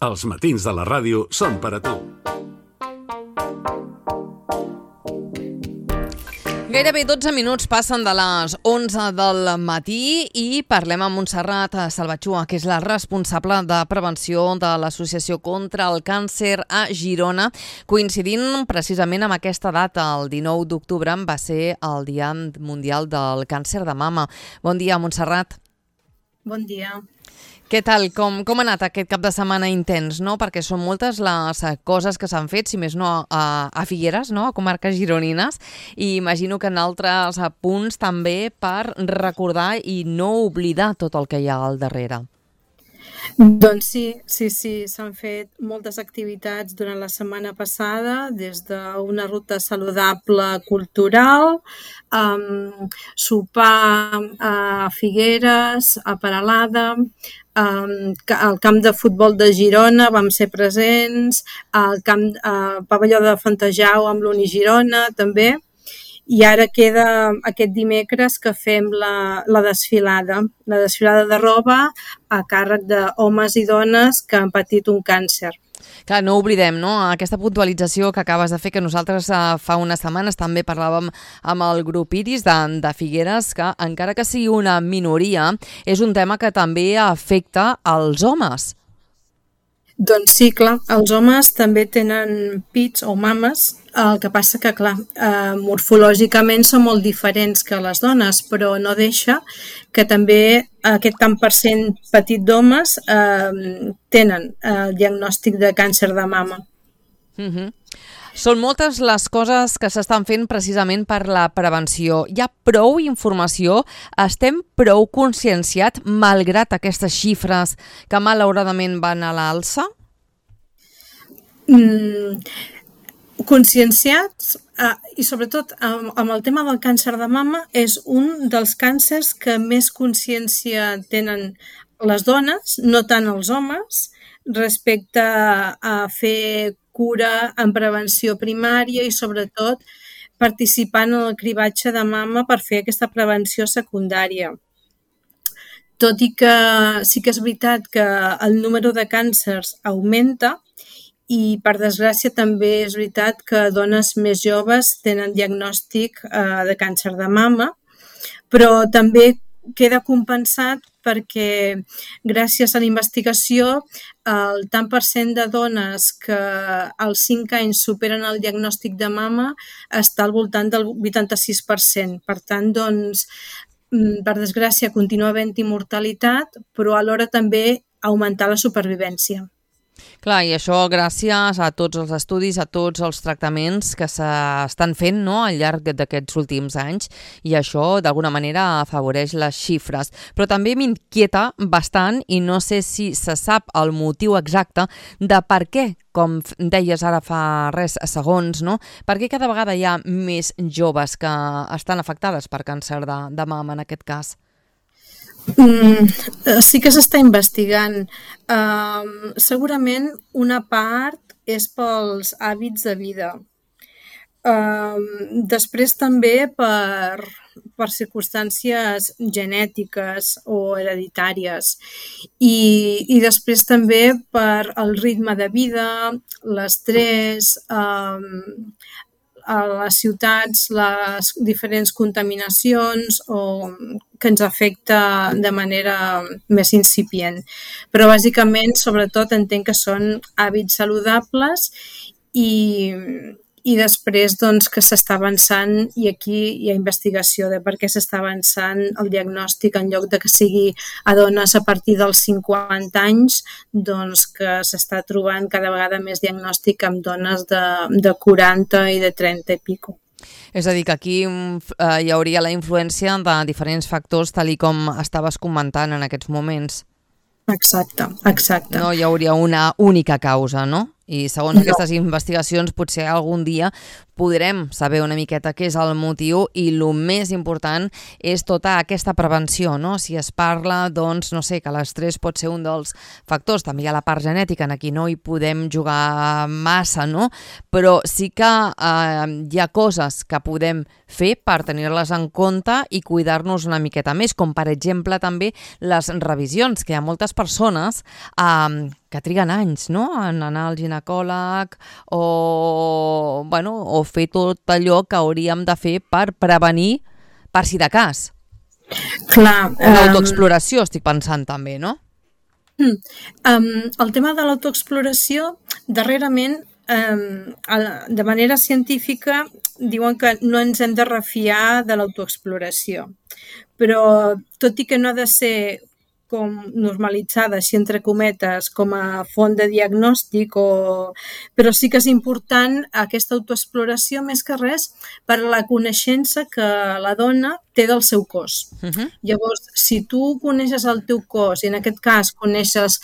Els matins de la ràdio són per a tu. Gairebé 12 minuts passen de les 11 del matí i parlem amb Montserrat Salvatxua, que és la responsable de prevenció de l'Associació contra el Càncer a Girona. Coincidint precisament amb aquesta data, el 19 d'octubre, va ser el Dia Mundial del Càncer de Mama. Bon dia, Montserrat. Bon dia. Què tal? Com ha anat aquest cap de setmana intens, no? Perquè són moltes les coses que s'han fet, si més no a Figueres, no? A comarques gironines, i imagino que en altres punts també per recordar i no oblidar tot el que hi ha al darrere. Doncs sí, s'han fet moltes activitats durant la setmana passada, des d'una ruta saludable cultural, sopar a Figueres, a Peralada, al camp de futbol de Girona vam ser presents, al pavelló de Fontejau amb l'Unigirona també, i ara queda aquest dimecres que fem la desfilada de roba a càrrec d'homes i dones que han patit un càncer. Clar, no oblidem, no? Aquesta puntualització que acabes de fer, que nosaltres fa unes setmanes també parlàvem amb el grup Iris de Figueres, que encara que sigui una minoria, és un tema que també afecta als homes. Doncs sí, clar, els homes també tenen pits o mames, el que passa que, clar, morfològicament són molt diferents que les dones, però no deixa que també aquest tant per cent petit d'homes tenen el diagnòstic de càncer de mama. Són moltes les coses que s'estan fent precisament per la prevenció. Hi ha prou informació? Estem prou conscienciats malgrat aquestes xifres que malauradament van a l'alça? Conscienciats i sobretot amb el tema del càncer de mama és un dels càncers que més consciència tenen les dones, no tant els homes, respecte a fer cura en prevenció primària i sobretot participant en el cribatge de mama per fer aquesta prevenció secundària. Tot i que sí que és veritat que el número de càncers augmenta i per desgràcia també és veritat que dones més joves tenen diagnòstic de càncer de mama, però també queda compensat perquè gràcies a la investigació el tant per cent de dones que als 5 anys superen el diagnòstic de mama està al voltant del 86%. Per tant, doncs, per desgràcia continua havent-hi mortalitat, però alhora també augmentar la supervivència. Clar, i això gràcies a tots els estudis, a tots els tractaments que s'estan fent, no?, al llarg d'aquests últims anys, i això d'alguna manera afavoreix les xifres. Però també m'inquieta bastant, i no sé si se sap el motiu exacte de per què, com deies ara fa res segons, no?, per què cada vegada hi ha més joves que estan afectades per càncer de mama en aquest cas? Sí que s'està investigant. Segurament una part és pels hàbits de vida. Després també per circumstàncies genètiques o hereditàries i després també per el ritme de vida, l'estrès, a les ciutats, les diferents contaminacions que ens afecta de manera més incipient. Però bàsicament, sobretot, entenc que són hàbits saludables i després doncs, que s'està avançant, i aquí hi ha investigació de per què s'està avançant el diagnòstic en lloc de que sigui a dones a partir dels 50 anys, doncs que s'està trobant cada vegada més diagnòstic amb dones de 40 i de 30 i pico. És a dir, que aquí hi hauria la influència de diferents factors, tal i com estaves comentant en aquests moments. Exacte. No hi hauria una única causa, no? I segons aquestes investigacions potser algun dia podrem saber una miqueta què és el motiu i el més important és tota aquesta prevenció, no? Si es parla, doncs, no sé, que l'estrès pot ser un dels factors, també hi ha la part genètica, en aquí no hi podem jugar massa, no? Però sí que hi ha coses que podem fer per tenir-les en compte i cuidar-nos una miqueta més, com per exemple també les revisions, que hi ha moltes persones que triguen anys, no?, en anar al ginecòleg o fer tot allò que hauríem de fer per prevenir, per si de cas. Clar. Una autoexploració, estic pensant també, no? El tema de l'autoexploració, darrerament, de manera científica, diuen que no ens hem de refiar de l'autoexploració. Però, tot i que no ha de ser com normalitzada, així entre cometes, com a font de diagnòstic, però sí que és important aquesta autoexploració, més que res, per la coneixença que la dona té del seu cos. Llavors, si tu coneixes el teu cos, i en aquest cas coneixes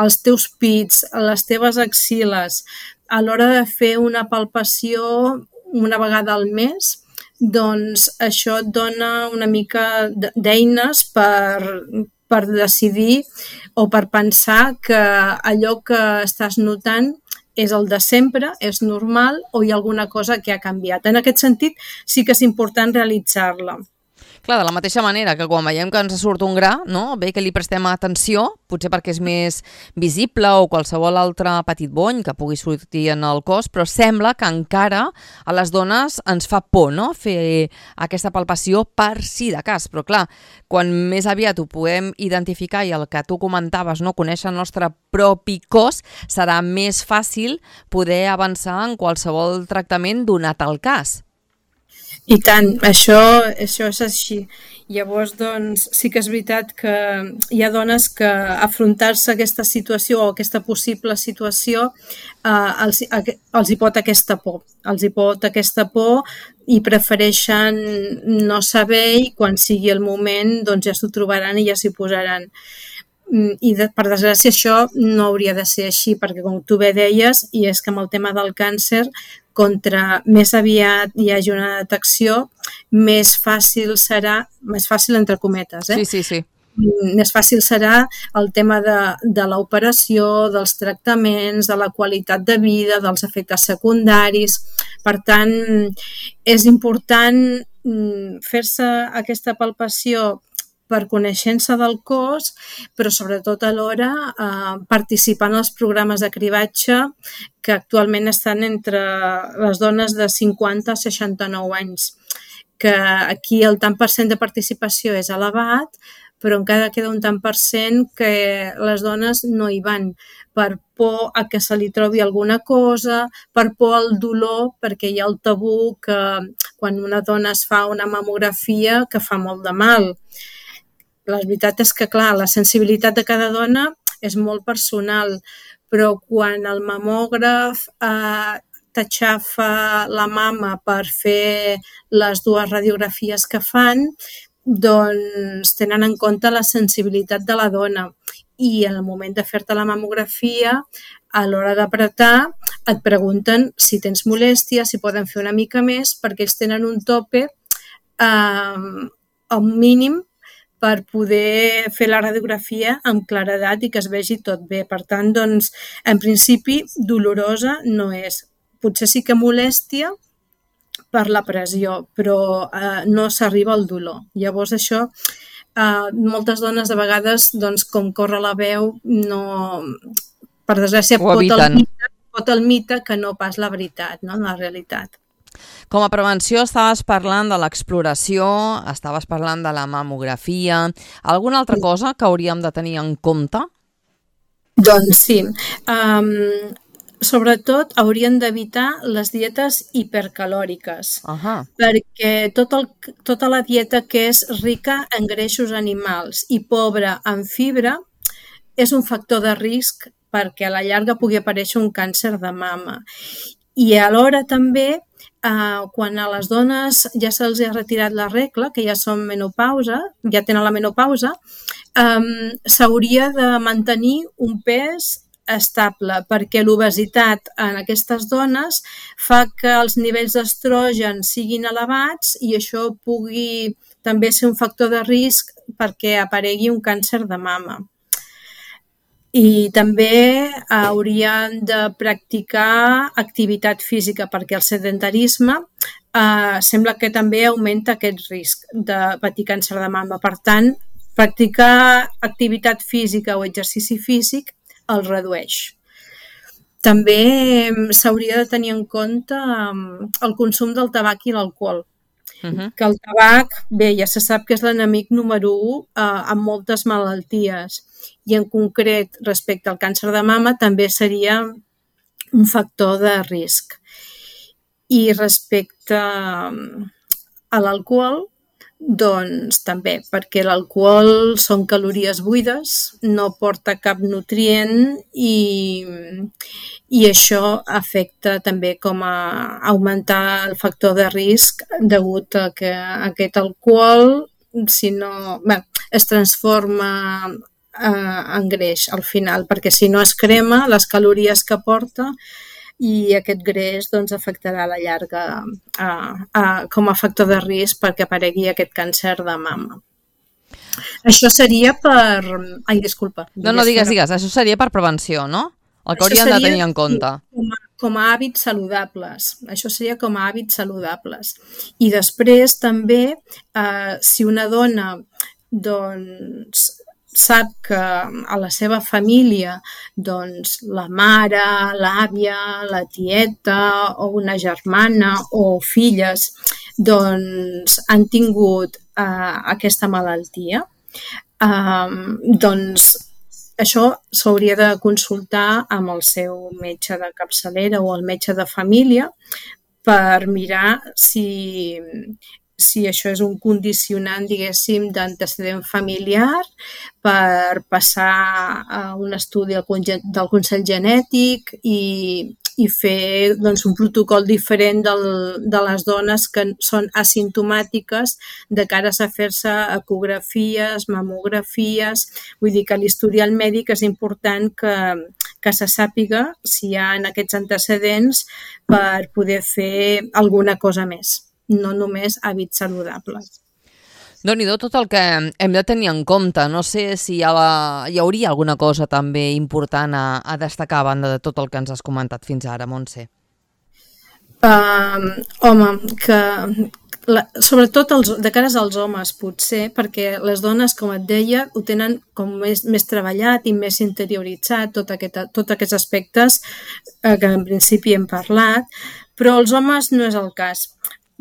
els teus pits, les teves axiles, a l'hora de fer una palpació una vegada al mes, doncs això et dona una mica d'eines per decidir o per pensar que allò que estàs notant és el de sempre, és normal o hi ha alguna cosa que ha canviat. En aquest sentit, sí que és important realitzar-la. Clar, de la mateixa manera que quan veiem que ens surt un gra, no? Bé que li prestem atenció, potser perquè és més visible o qualsevol altre petit bony que pugui sortir en el cos, però sembla que encara a les dones ens fa por, no?, fer aquesta palpació per si de cas. Però clar, quan més aviat ho podem identificar i el que tu comentaves, no?, conèixer el nostre propi cos, serà més fàcil poder avançar en qualsevol tractament donat el cas. I tant, això és així. Llavors, doncs, sí que és veritat que hi ha dones que afrontar-se a aquesta situació o aquesta possible situació els hi pot aquesta por. Els hi pot aquesta por i prefereixen no saber i quan sigui el moment doncs ja s'ho trobaran i ja s'hi posaran. I per desgràcia això no hauria de ser així, perquè com tu bé deies, i és que amb el tema del càncer, contra més aviat hi hagi una detecció, més fàcil serà, més fàcil entre cometes, Sí. Més fàcil serà el tema de l'operació, dels tractaments, de la qualitat de vida, dels efectes secundaris. Per tant, és important fer-se aquesta palpació per coneixença del cos, però sobretot alhora participar en els programes de cribatge que actualment estan entre les dones de 50 a 69 anys, que aquí el tant per cent de participació és elevat, però encara queda un tant per cent que les dones no hi van per por a que se li trobi alguna cosa, per por al dolor, perquè hi ha el tabú que quan una dona es fa una mamografia que fa molt de mal. La veritat és que, clar, la sensibilitat de cada dona és molt personal, però quan el mamògraf t'aixafa la mama per fer les dues radiografies que fan, doncs tenen en compte la sensibilitat de la dona. I en el moment de fer-te la mamografia, a l'hora d'apretar, et pregunten si tens molèstia, si poden fer una mica més, perquè ells tenen un tope un mínim per poder fer la radiografia amb claredat i que es vegi tot bé. Per tant, doncs, en principi, dolorosa no és. Potser sí que molèstia per la pressió, però no s'arriba al dolor. Llavors, això, moltes dones, de vegades, doncs, com corre la veu, no... Per desgràcia, pot el mite que no pas la veritat, no? La realitat. Com a prevenció estaves parlant de l'exploració, estaves parlant de la mamografia. Alguna altra cosa que hauríem de tenir en compte? Doncs sí. Sobretot haurien d'evitar les dietes hipercalòriques, perquè tota la dieta que és rica en greixos animals i pobra en fibra és un factor de risc perquè a la llarga pugui aparèixer un càncer de mama. I alhora també, quan a les dones ja se'ls ha retirat la regla, que ja són menopausa, ja tenen la menopausa, s'hauria de mantenir un pes estable, perquè l'obesitat en aquestes dones fa que els nivells d'estrogen siguin elevats i això pugui també ser un factor de risc perquè aparegui un càncer de mama. I també haurien de practicar activitat física perquè el sedentarisme sembla que també augmenta aquest risc de patir càncer de mama. Per tant, practicar activitat física o exercici físic el redueix. També s'hauria de tenir en compte el consum del tabac i l'alcohol. Que el tabac, bé, ja se sap que és l'enemic número 1 amb moltes malalties i en concret respecte al càncer de mama també seria un factor de risc. I respecte a l'alcohol, doncs també, perquè l'alcohol són calories buides, no porta cap nutrient i això afecta també com a augmentar el factor de risc degut a que aquest alcohol es transforma en greix al final, perquè si no es crema les calories que porta i aquest greix doncs, afectarà a la llarga com a factor de risc perquè aparegui aquest càncer de mama. Això seria per... Ai, disculpa. No, digues. Això seria per prevenció, no? El que hauríem de tenir en compte. Com a hàbits saludables. Això seria com a hàbits saludables. I després també, si una dona doncs sap que a la seva família doncs, la mare, l'àvia, la tieta o una germana o filles doncs, han tingut aquesta malaltia, doncs això s'hauria de consultar amb el seu metge de capçalera o el metge de família per mirar si això és un condicionant, diguéssim, d'antecedent familiar per passar a un estudi del Consell Genètic i fer doncs, un protocol diferent de les dones que són asimptomàtiques de cara a fer-se ecografies, mamografies. Vull dir que l'historial mèdic és important que se sàpiga si hi ha aquests antecedents per poder fer alguna cosa més. No només hàbits saludables. Déu-n'hi-do tot el que hem de tenir en compte. No sé si hi hauria alguna cosa també important a destacar a banda de tot el que ens has comentat fins ara, Montse. Sobretot de cares als homes, potser, perquè les dones, com et deia, ho tenen com més treballat i més interioritzat, tots aquests aspectes que en principi hem parlat, però els homes no és el cas.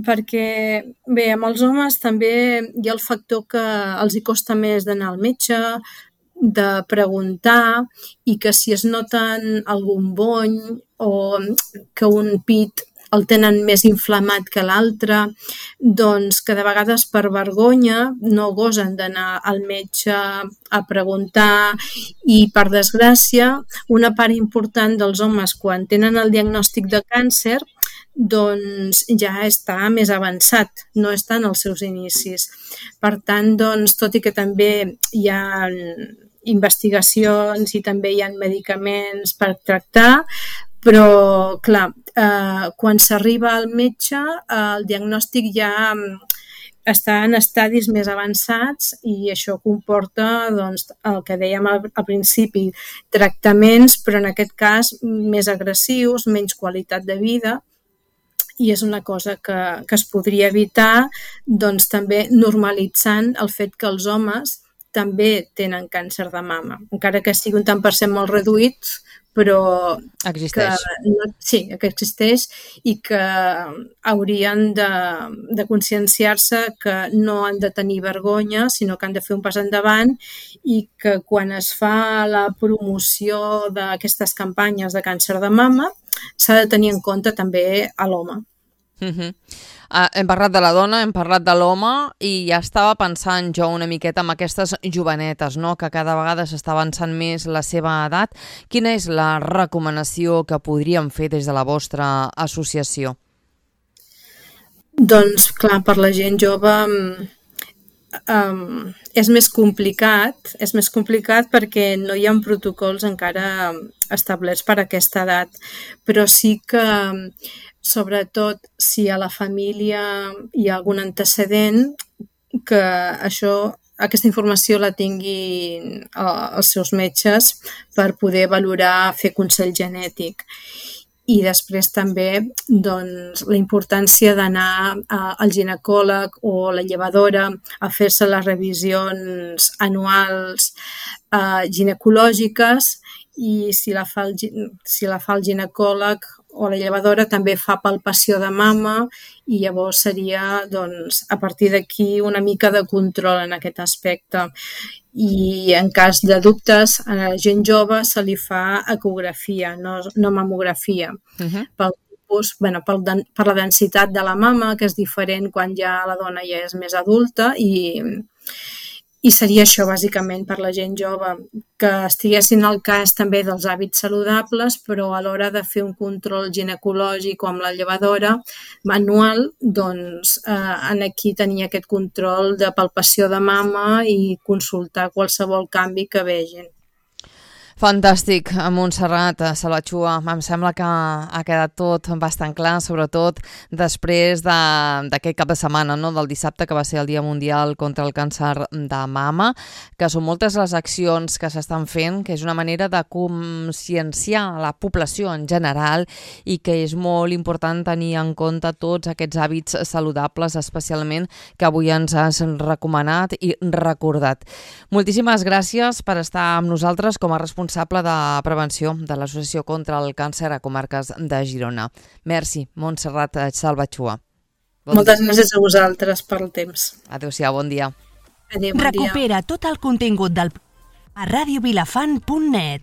Perquè, bé, amb els homes també hi ha el factor que els hi costa més d'anar al metge, de preguntar i que si es noten algun bony o que un pit el tenen més inflamat que l'altre, doncs que de vegades per vergonya no gosen d'anar al metge a preguntar i per desgràcia una part important dels homes quan tenen el diagnòstic de càncer doncs ja està més avançat, no està en els seus inicis. Per tant, doncs, tot i que també hi ha investigacions i també hi ha medicaments per tractar, però, clar, quan s'arriba al metge, el diagnòstic ja està en estadis més avançats i això comporta doncs, el que dèiem al principi, tractaments, però en aquest cas més agressius, menys qualitat de vida, i és una cosa que es podria evitar doncs, també normalitzant el fet que els homes també tenen càncer de mama, encara que sigui un tant per cent molt reduït, però existeix. Que existeix i que haurien de conscienciar-se que no han de tenir vergonya, sinó que han de fer un pas endavant i que quan es fa la promoció d'aquestes campanyes de càncer de mama s'ha de tenir en compte també a l'home. Hem parlat de la dona, hem parlat de l'home i ja estava pensant jo una miqueta en aquestes jovenetes, no? Que cada vegada s'està avançant més la seva edat. Quina és la recomanació que podríem fer des de la vostra associació? Doncs clar, per la gent jove és més complicat perquè no hi ha protocols encara establerts per a aquesta edat, però sí que sobretot si a la família hi ha algun antecedent, que aquesta informació la tinguin els seus metges per poder valorar, fer consell genètic. I després també doncs, la importància d'anar al ginecòleg o la llevadora a fer-se les revisions anuals ginecològiques i si la fa el ginecòleg o la llevadora també fa palpació de mama i llavors seria, doncs, a partir d'aquí una mica de control en aquest aspecte. I en cas de dubtes a la gent jove se li fa ecografia, no mamografia. Pel tipus, per la densitat de la mama, que és diferent quan ja la dona ja és més adulta, i seria això bàsicament per la gent jove, que estiguessin al cas també dels hàbits saludables, però a l'hora de fer un control ginecològic o amb la llevadora manual, doncs aquí tenir aquest control de palpació de mama i consultar qualsevol canvi que vegin. Fantàstic, Montserrat Salvatxua. Em sembla que ha quedat tot bastant clar, sobretot després d'aquest cap de setmana, no? Del dissabte, que va ser el Dia Mundial contra el Càncer de Mama, que són moltes les accions que s'estan fent, que és una manera de conscienciar la població en general i que és molt important tenir en compte tots aquests hàbits saludables, especialment que avui ens has recomanat i recordat. Moltíssimes gràcies per estar amb nosaltres com a responsable de prevenció de l'Associació contra el Càncer a Comarques de Girona. Merci, Montserrat Salvatxua. Moltes gràcies a vosaltres pel temps. Adéu-siau, bon dia. Adéu, bon dia. Recupera tot el contingut del a radiovilafant.net.